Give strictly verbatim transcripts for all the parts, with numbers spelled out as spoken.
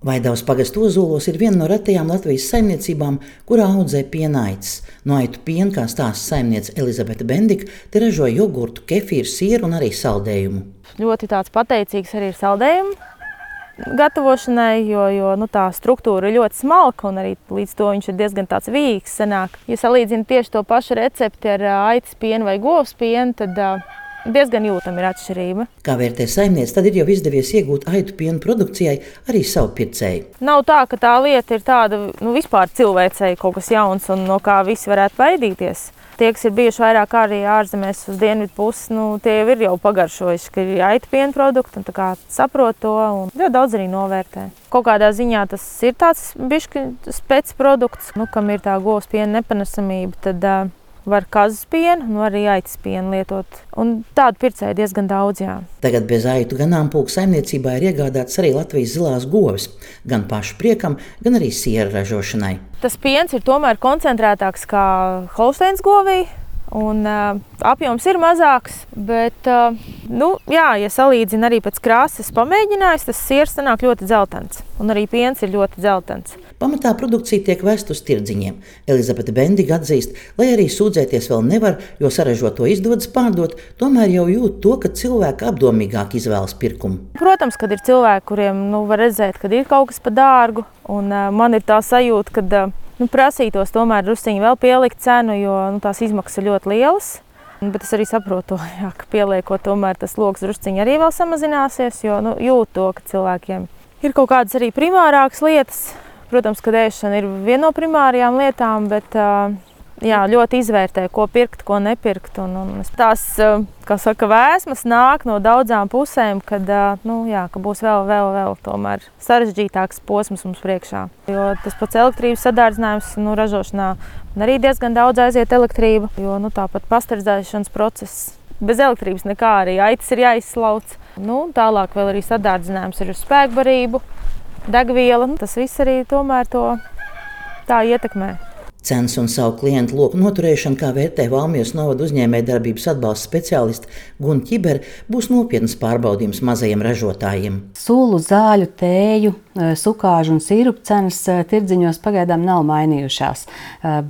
Vaidavas pagasta Ozolos ir viena no retajām Latvijas saimniecībām, kurā audzē piena aitas. No aitu piena, kā stāsta saimniece Elizabete Bendika, te ražo jogurtu, kefīru, sieru un arī saldējumu. Ļoti tāds pateicīgs arī ir saldējumu gatavošanai, jo, jo nu, tā struktūra ir ļoti smalka un arī līdz to viņš ir diezgan tāds vīgs sanāk. Ja salīdzina tieši to pašu recepti ar aitas pienu vai govs pienu, tad diezgan jūtama ir atšķirība. Kā vērtē saimniece, tad ir jau izdevies iegūt aitu pienu produkcijai arī savu pircēju. Nav tā, ka tā lieta ir tāda nu, vispār cilvēcei kaut kas jauns un no kā visi varētu baidīties. Tie, kas ir bijuši vairāk arī ārzemēs uz dienvidu pusi, nu, tie jau ir jau pagaršojuši, ka ir aitu piena produkti un tā kā saprot to un ļoti daudz arī novērtē. Kaut kādā ziņā tas ir tāds bišķi spec produkts, nu, kam ir tā govs piena nepanesamība, tad uh, var kazas pienu, nu arī aitas pienu lietot. Un tādu pircēju diezgan daudz, jā. Tagad bez aitu ganāmpulku saimniecībā ir iegādāts arī Latvijas zilās govis, gan pašu priekam, gan arī siera ražošanai. Tas piens ir tomēr koncentrētāks kā Holsteins govī, un uh, apjoms ir mazāks, bet, uh, nu, jā, ja salīdzina arī pēc krāsas pamēģinājis, tas siers sanāk ļoti dzeltens, un arī piens ir ļoti dzeltens. Pamatā produkcija tiek vest uz tirdziņiem. Elizabete Bendika atzīst, lai arī sūdzēties vēl nevar, jo saražoto izdodas pārdot, tomēr jau jūt to, ka cilvēki apdomīgāk izvēlas pirkumu. Protams, kad ir cilvēki, kuriem nu, var redzēt, kad ir kaut kas pa dārgu, un uh, man ir tā sajūta, kad uh, nu, prasītos tomēr drusciņi vēl pielikt cenu, jo nu, tās izmaksas ir ļoti lielas. Bet es arī saprotu, jā, ka pieliekot tomēr tas loks drusciņi arī vēl samazināsies, jo nu, jūt to, ka cilvēkiem ir kaut kādas arī primārākas lietas. Protams, ka ēšana ir viena no primārajām lietām, bet jā, ļoti izvērtē, ko pirkt, ko nepirkt. Un, un tās, kā saka, vēsmas nāk no daudzām pusēm, kad, nu, jā, ka būs vēl, vēl, vēl tomēr sarežģītāks posms mums priekšā. Jo tas pats elektrības sadārdzinājums nu, ražošanā arī diezgan daudz aiziet elektrība, jo nu, tāpat pasterizēšanas process. Bez elektrības nekā arī aitas ir jāizslauc. Nu, tālāk vēl arī sadārdzinājums ir uz spēkbarību. Degviela, tas viss arī tomēr to tā ietekmē. Cenas un savu klientu loku noturēšana, kā vērtē Valmieras novada uzņēmējdarbības atbalsta speciāliste Guna Ķibere, būs nopietnas pārbaudījums mazajiem ražotājiem. Sulu, zāļu, tēju, sukāžu un sīrupu cenas tirdziņos pagaidām nav mainījušās,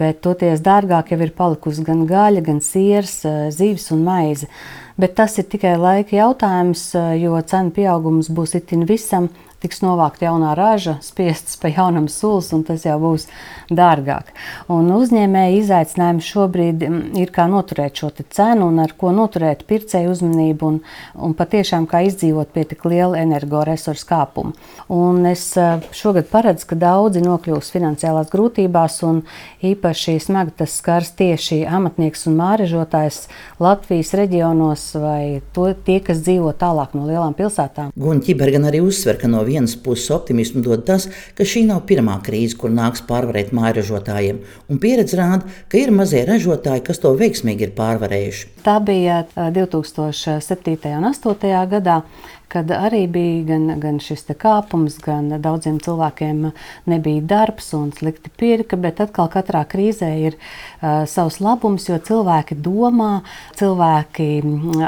bet toties dārgāk jau ir palikusi gan gaļa, gan siers, zivs un maize. Bet tas ir tikai laika jautājums, jo cenu pieaugums būs itin visam, tiks novākt jaunā raža, spiestas pa jaunam sulas, un tas jau būs dārgāk. Un uzņēmēji izaicinājumi šobrīd ir kā noturēt šo te cenu un ar ko noturēt pircēju uzmanību un, un patiešām kā izdzīvot pie tik liela energoresursu kāpuma. Un es šogad paredzu, ka daudzi nokļūs finansiālās grūtībās un īpaši smagi tas skars tieši amatnieks un māražotājs Latvijas reģionos vai to, tie, kas dzīvo tālāk no lielām pilsētām. Guna Ķibere gan arī uzsver, ka no vienas puses optimismu dod tas, ka šī nav pirmā krīze, kur nāks pārvarēt mājražotājiem, un pieredze rāda, ka ir mazie ražotāji, kas to veiksmīgi ir pārvarējuši. Tā bija divi tūkstoši septītajā un astotajā gadā, kad arī bija gan, gan šis te kāpums, gan daudziem cilvēkiem nebija darbs un slikti pirka, bet atkal katrā krīzē ir uh, savs labums, jo cilvēki domā, cilvēki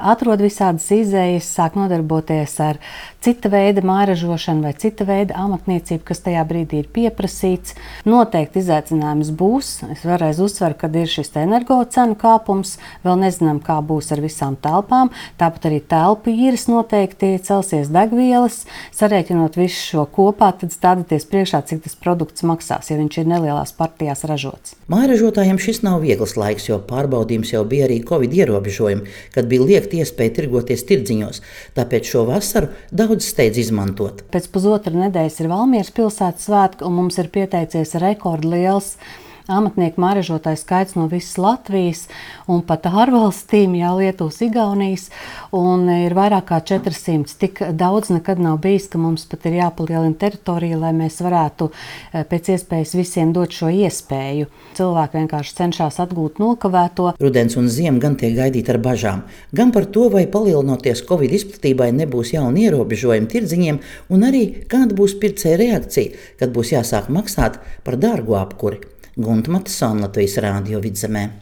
atrod visādas izējas, sāk nodarboties ar cita veida mājražošanu vai cita veida amatniecību, kas tajā brīdī ir pieprasīts. Noteikti izaicinājums būs. Es vēlreiz uzsveru, kad ir šis energo cenu kāpums, vēl nezinām, kā būs ar visām telpām, tāpat arī telpu īres noteikti celsies degvielas, sarēķinot visu šo kopā, tad stādieties priekšā, cik tas produkts maksās, ja viņš ir nelielās partijās ražots. Mājražotājiem šis nav viegls laiks, jo pārbaudījums jau bija arī Covid ierobežojumi, kad bija liekta iespēja tirgoties tirdziņos, tāpēc šo vasaru daudz steidz izmantot. Pēc pusotra nedēļas ir Valmieras pilsētas svētki, un mums ir pieteicies rekordliels amatnieku mājražotāju skaits no visas Latvijas un pat ārvalstīm, jā, Lietuvas, Igaunijas, un ir vairāk kā četri simti. Tik daudz nekad nav bijis, ka mums pat ir jāpalielina teritorija, lai mēs varētu pēc iespējas visiem dot šo iespēju. Cilvēki vienkārši cenšas atgūt nokavēto. Rudens un ziema gan tiek gaidīti ar bažām, gan par to, vai palielinoties Covid izplatībai nebūs jauni ierobežojumi tirdziņiem, un arī kāda būs pircēja reakcija, kad būs jāsāk maksāt par dārgo apkuri. Gunta Matisone, Latvijas Rādio Vidzemē.